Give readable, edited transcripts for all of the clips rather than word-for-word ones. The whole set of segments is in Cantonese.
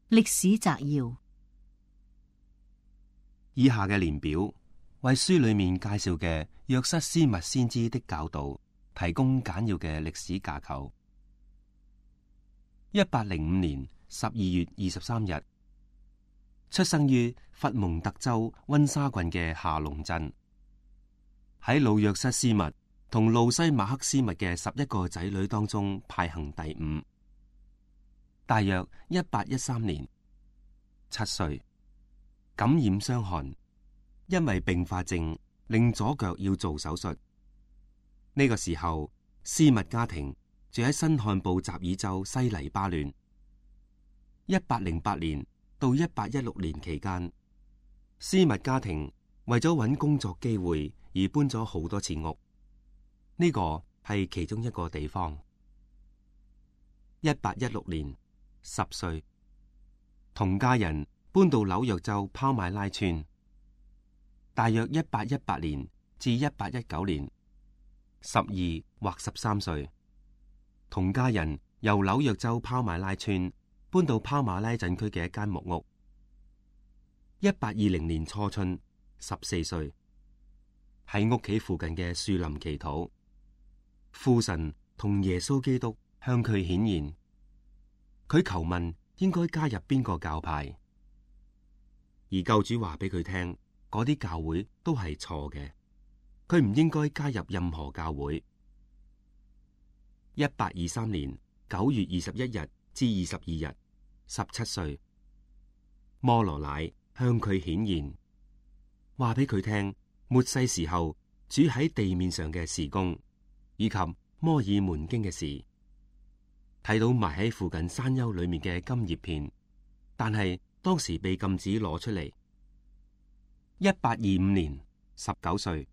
歷史摘要：以下嘅年表為書裏面介紹嘅約瑟斯密先知的教導提供簡要嘅歷史架構。1805年12月23日，出生於佛蒙特州溫莎郡嘅夏隆鎮，喺老約瑟斯密同路西馬克斯密嘅11個仔女當中排行第5。大約1813年，7歲，感染傷寒，因為併發症令左腳要做手術。呢個時候，斯密家庭住喺新罕布什爾州西黎巴嫩。1808年到1816年期間，斯密家庭為咗搵工作機會而搬咗好多次屋。呢個係其中一個地方。1816年，10歲，同家人搬到紐約州拋買拉村。大約1818年至1819年，12或13歲，同家人由紐約州拋買拉村搬到拋馬拉鎮區嘅一間木屋。1820年初春，14歲，喺屋企附近嘅樹林祈禱，父神同耶穌基督向佢顯現，佢求問應該加入邊個教派，而救主話俾佢聽，嗰啲教會都係錯嘅，佢唔應該加入任何教會。1823年9月21日至22日，17歲，摩羅乃向佢顯現，話俾佢聽末世時候主喺地面上嘅事工，以及摩爾門經嘅事。睇到埋喺附近山丘裏面嘅金葉片，但係當時被禁止攞出嚟。1825年，19歲，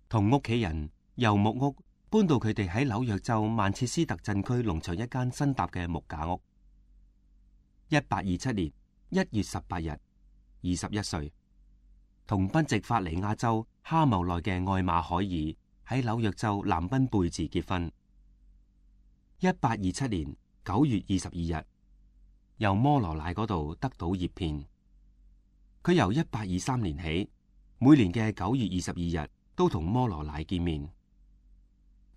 同屋企人由木屋搬到佢哋喺紐約州曼徹斯特鎮區農場一間新搭嘅木架屋。1827年1月18日，21歲，同賓夕法尼亞州哈茂內嘅愛馬海爾喺紐約州南賓貝治結婚。1827年9月22日，由摩羅乃嗰度得到葉片。佢由1823年起，每年嘅9月22日都同摩羅乃見面。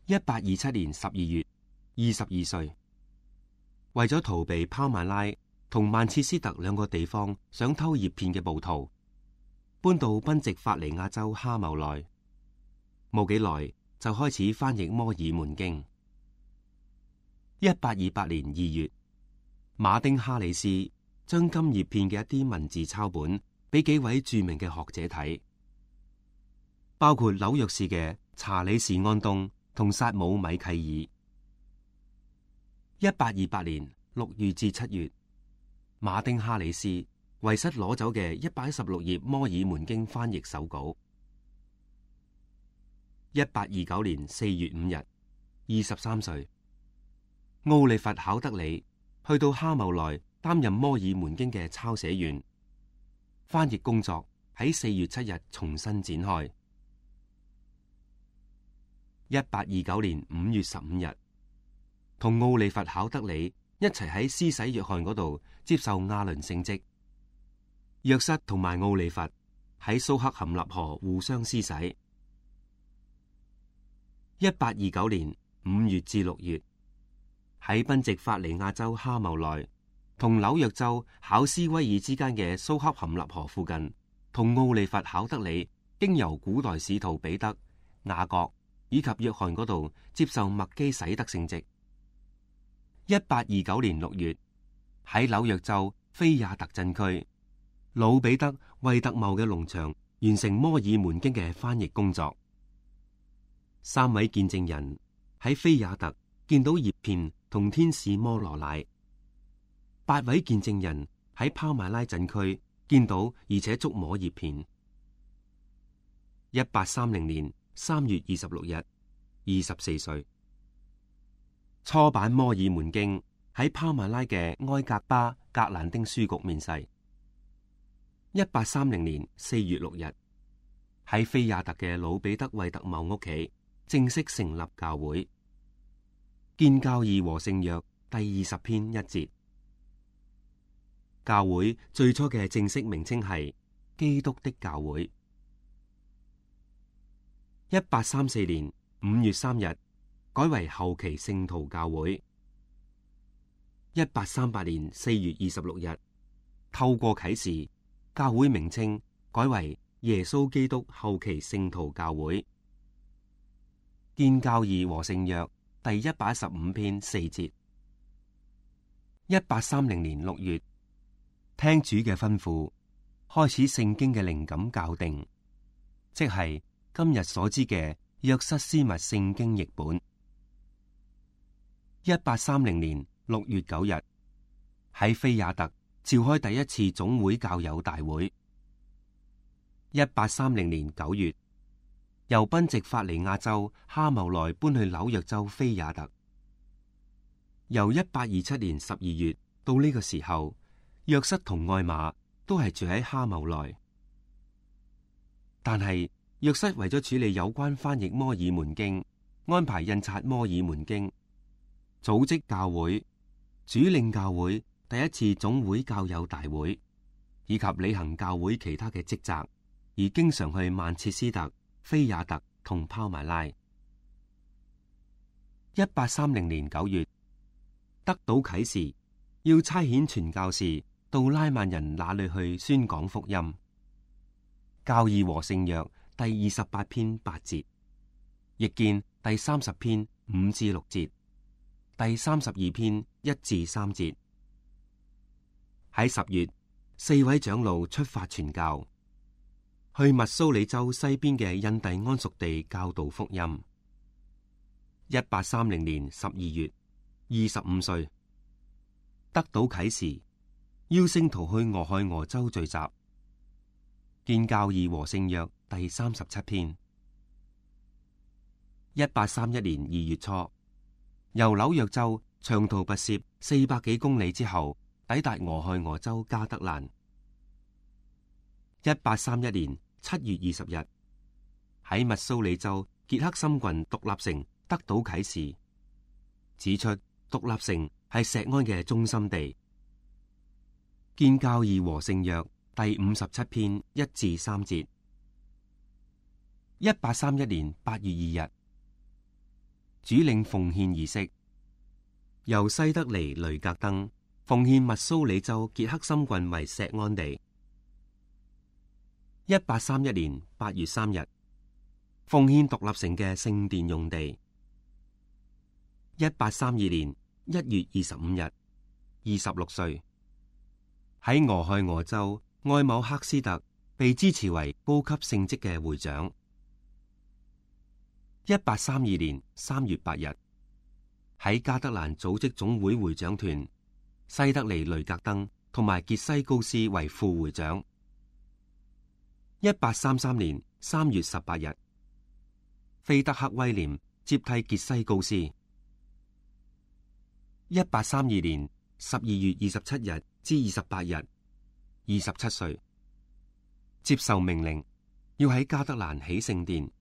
1827年12月，22歲，為咗逃避拋曼拉同曼徹斯特兩個地方想偷葉片嘅暴徒，搬到賓夕法尼亞州哈茂內，冇幾耐就開始翻譯摩爾門經。1828年2月，馬丁哈里斯將金葉片嘅一啲文字抄本俾幾位著名嘅學者睇，包括紐約市嘅查理士安東同薩姆米契爾。1828年6月至7月，馬丁哈里斯遺失攞走嘅116頁摩爾門經翻譯手稿。1829年4月5日，23歲，奧利弗考德里去到哈茂內擔任摩爾門經嘅抄寫員，翻譯工作喺4月7日重新展開。1829年5月15日，同奧利弗考德里一齊喺施洗約翰嗰度接受亞倫聖職。約瑟同埋奧利弗喺蘇克坎納河互相施洗。1829年5月至6月，喺賓夕法尼亞州哈茂內同紐約州考斯威爾之間嘅蘇克坎納河附近，同奧利弗考德里經由古代使徒彼得、雅各以及約翰嗰度接受麥基洗德聖職。1829年6月，喺紐約州菲亞特鎮區，老彼得惠特茂嘅農場完成摩爾門經嘅翻譯工作。3位見證人喺菲亞特見到葉片同天使摩羅乃，8位見證人喺拋馬拉鎮區見到而且觸摸葉片。1830年3月26日，24歲，初版摩爾門經喺拋馬拉嘅埃格巴格蘭丁書局面世。1830年4月6日，喺菲亞特嘅老彼得惠特茂屋企正式成立教會。建教義和聖約第20篇1節。教會最初嘅正式名稱係基督的教會。1834年5月3日改為後期聖徒教會。1838年4月26日透過啟示，教會名稱改為耶穌基督後期聖徒教會。建教義和聖約第115篇4節。1830年6月，聽主嘅吩咐，開始聖經嘅靈感校訂，即係今日所知嘅約瑟斯密聖經譯本。1830年6月9日，喺菲亞特召開第一次總會教友大會。1830年9月，由賓夕法尼亞州哈茂萊搬去紐約州菲亞特。由1827年12月到呢個時候，約瑟同愛瑪都係住喺哈茂萊。但係約瑟為咗處理有關翻譯摩爾門經、安排印刷摩爾門經、組織教會、主領教會第一次總會教友大會，以及履行教會其他嘅職責，而經常去曼徹斯特、菲亞特同拋埋拉。1830年9月，得到啟示，要差遣傳教士到拉曼人那裏去宣講福音。教義和聖約第28篇8節，譯見第30篇5至6節，第32篇1至3節。喺10月，4位長老出發傳教，去密蘇里州西邊嘅印第安屬地教導福音。1830年12月，25歲，得到啟示，邀聖徒去俄亥俄州聚集。建教義和聖約第37篇。1831年2月初，由紐約州長途跋涉400幾公里之後，抵達俄亥俄州加德蘭。1831年7月20日，喺密蘇里州傑克森郡獨立城得到啟示，指出獨立城係錫安嘅中心地。建教義和聖約第57篇1至3節。1831年8月2日，主領奉獻儀式，由西德尼雷格登奉獻密蘇里州傑克森郡為錫安地。1831年8月3日，奉獻獨立城嘅聖殿用地。1832年1月25日，26歲，喺俄亥俄州愛姆克斯特被支持為高級聖職嘅會長。1832年3月8日，喺加德蘭組織總會會長團，西德尼雷格登同埋傑西高斯為副會長。1833年3月18日，菲德克威廉接替傑西高斯。1832年12月27日至28日，27歲，接受命令要喺加德蘭起聖殿。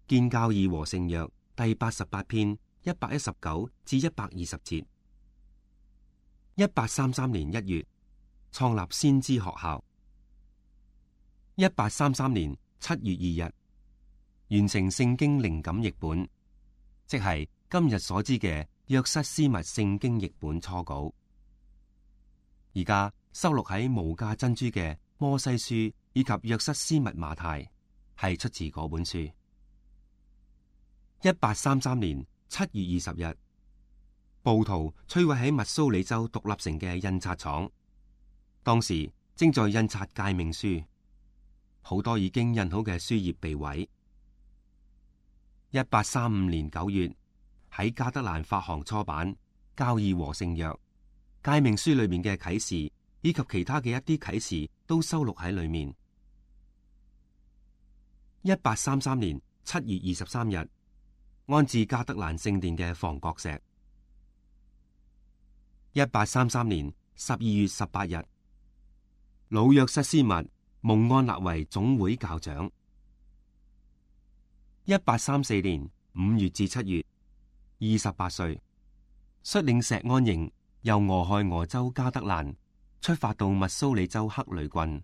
建教義和聖約第88篇119至120節。1833年1月，創立先知學校。1833年7月2日，完成聖經靈感譯本，即係今日所知嘅約瑟斯密聖經譯本初稿。而家收錄喺無價珍珠嘅摩西書以及約瑟斯密馬太，係出自嗰本書。1833年7月20日，暴徒摧毀喺密蘇里州獨立城嘅印刷廠，當時正在印刷誡命書，好多已經印好嘅書頁被毀。1835年9月，喺加德蘭發行初版《教義和聖約》，誡命書裏面嘅啟示以及其他嘅一啲啟示都收錄喺裏面。1833年7月23日，安置加德蘭聖殿嘅房角石。1833年12月18日，老約瑟斯密蒙安立為總會教長。1834年5月至7月，28歲，率領錫安營由俄亥俄州加德蘭出發到密蘇里州克雷郡，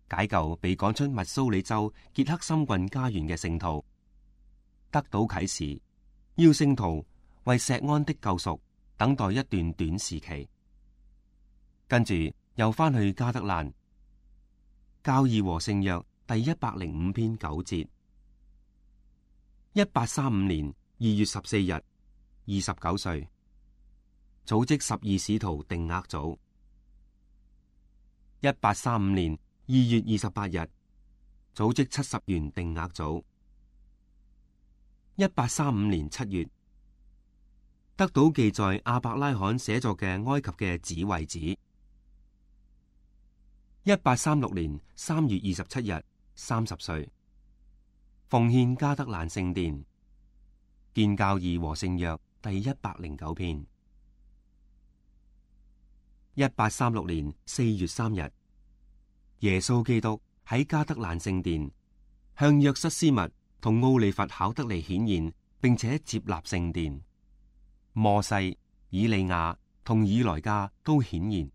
解救被趕出密蘇里州傑克森郡家園嘅聖徒，得到啟示，要聖徒為錫安的救贖等待一段短時期。跟住又翻去加德蘭。教義和聖約第105篇9節。1835年2月14日，29歲，組織12使徒定額組。1835年2月28日，組織70員定額組。1835年7月，得到記載亞伯拉罕寫作嘅埃及嘅紙為止。1836年3月27日，30歲，奉獻加德蘭聖殿。建教義和聖約第109篇。1836年4月3日，耶穌基督喺加德蘭聖殿向約瑟斯密同奧利弗考德尼顯現，並且接納聖殿。摩西、以利亞同以萊加都顯現，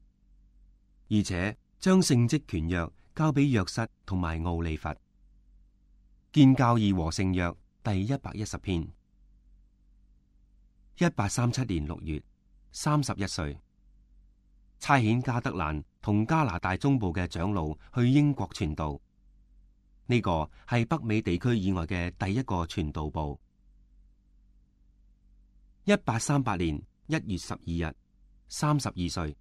而且將聖職權約交俾約瑟同埋奧利弗。建教義和聖約第110篇。1837年6月，31歲，差遣加德蘭同加拿大中部嘅長老去英國傳道。呢個係北美地區以外嘅第一個傳道部。1838年1月12日，32歲，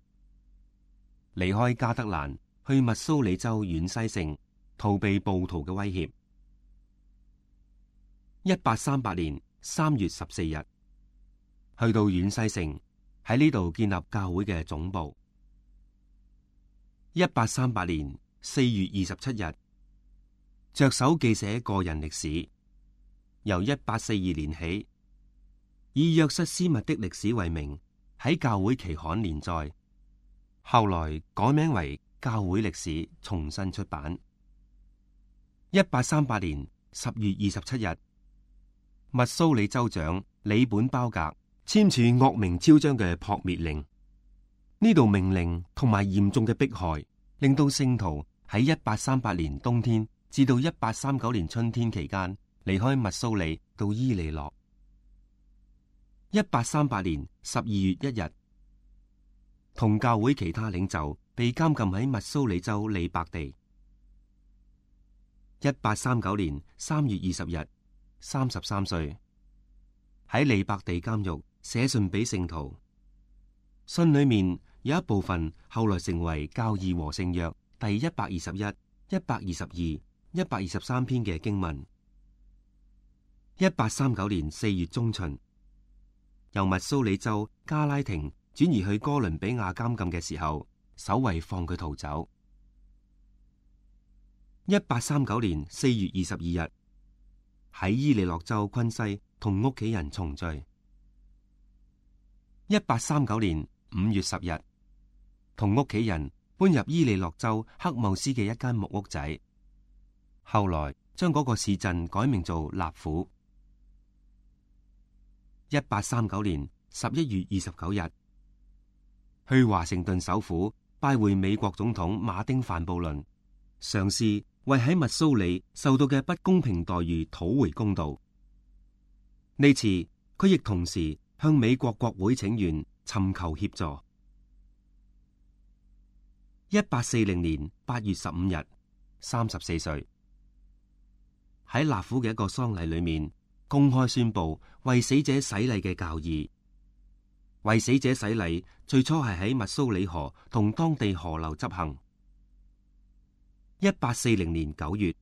離開加德蘭去密蘇里州遠西城，逃避暴徒嘅威脅。1838年3月14日，去到遠西城，喺呢度建立教會嘅總部。1838年4月27日，着手記寫個人歷史，由1842年起，以約瑟斯密的歷史為名，喺教會期刊連載，後來改名為教會歷史，重新出版。1838年10月27日，密蘇里州長里本鮑格簽署惡名昭彰嘅撲滅令。呢度命令同埋嚴重嘅迫害，令到聖徒喺1838年冬天至到1839年春天期間離開密蘇里到伊利諾。1838年12月1日，同教會其他領袖被監禁喺密蘇里州利伯地。1839年3月20日，33歲，喺利伯地監獄寫信俾聖徒，信裏面有一部分後來成為教義和聖約第121、122、123篇嘅經文。1839年4月中旬，由密蘇里州加拉廷轉移去哥倫比亞監禁嘅時候，守衛放佢逃走。1839年4月22日，喺伊利諾州昆西同屋企人重聚。1839年5月10日，同屋企人搬入伊利諾州克姆斯嘅一間木屋仔，後來將嗰個市鎮改名做納府。1839年11月29日，去華盛頓首府拜會美國總統馬丁范布倫，嘗試為喺密蘇里受到嘅不公平待遇討回公道。呢次佢亦同時向美國國會請願，尋求協助。1840年8月15日，34歲，喺納府嘅一個喪禮裏面，公開宣布為死者洗禮嘅教義。為死者洗禮最初係喺密蘇里河同當地河流執行。1840年9月，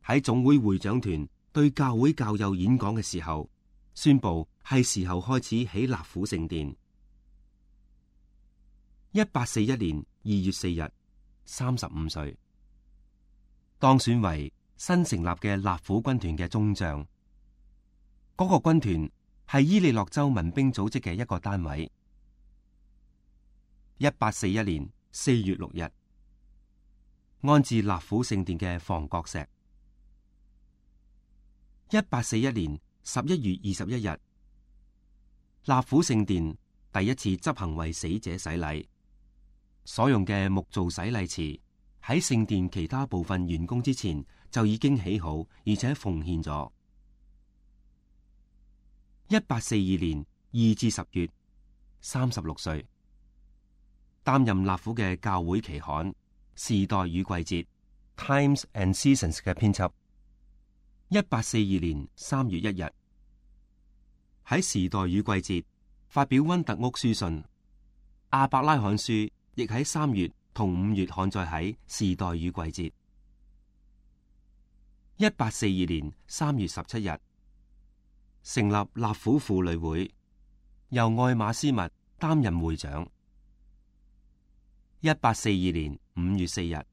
喺總會會長團對教會教友演講嘅時候，宣布係時候開始起納府聖殿。1841年2月4日，35歲，當選為新成立嘅納府軍團嘅中將。嗰個軍團係伊利諾州民兵組織嘅一個單位。1841年4月6日，安置納府聖殿嘅房角石。1841年11月21日，納府聖殿第一次執行為死者洗禮。所用嘅木造洗禮池喺聖殿其他部分完工之前就已經起好，而且奉獻咗。1842年2至10月，36歲，擔任納府嘅教會期刊《時代與季節》（Times and Seasons） 嘅編輯。1842年3月1日，喺《時代與季節》發表溫特屋書信。亞伯拉罕書亦喺3月同5月刊載喺《時代與季節》。1842年3月17日，成立納府婦女會，由愛馬斯密擔任會長。1842年5月4日，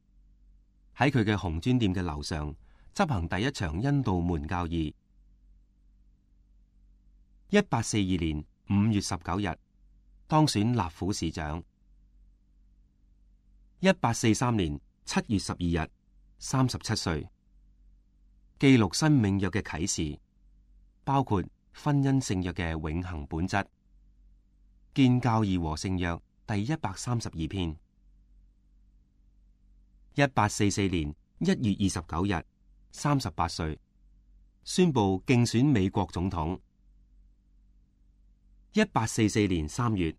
喺佢嘅紅磚店嘅樓上執行第一場恩道門教義。1842年5月19日，當選納府市長。1843年7月12日，37歲，記錄新命約嘅啟示，包括婚姻聖約嘅永恆本質，建教義和聖約第132篇。1844年1月29日，38歲，宣布競選美國總統。1844年3月，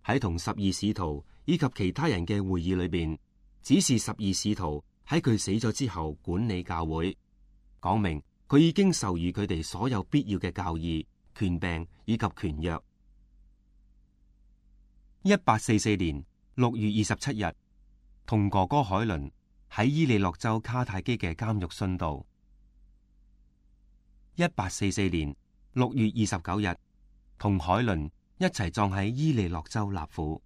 喺同12使徒以及其他人嘅會議裏邊，指示12使徒喺佢死咗之後管理教會，講明佢已經授予佢哋所有必要嘅教義、權柄以及權約。1844年6月27日，同哥哥海倫喺伊利諾州卡泰基嘅監獄殉道。1844年6月29日，同海倫一齊葬喺伊利諾州納府。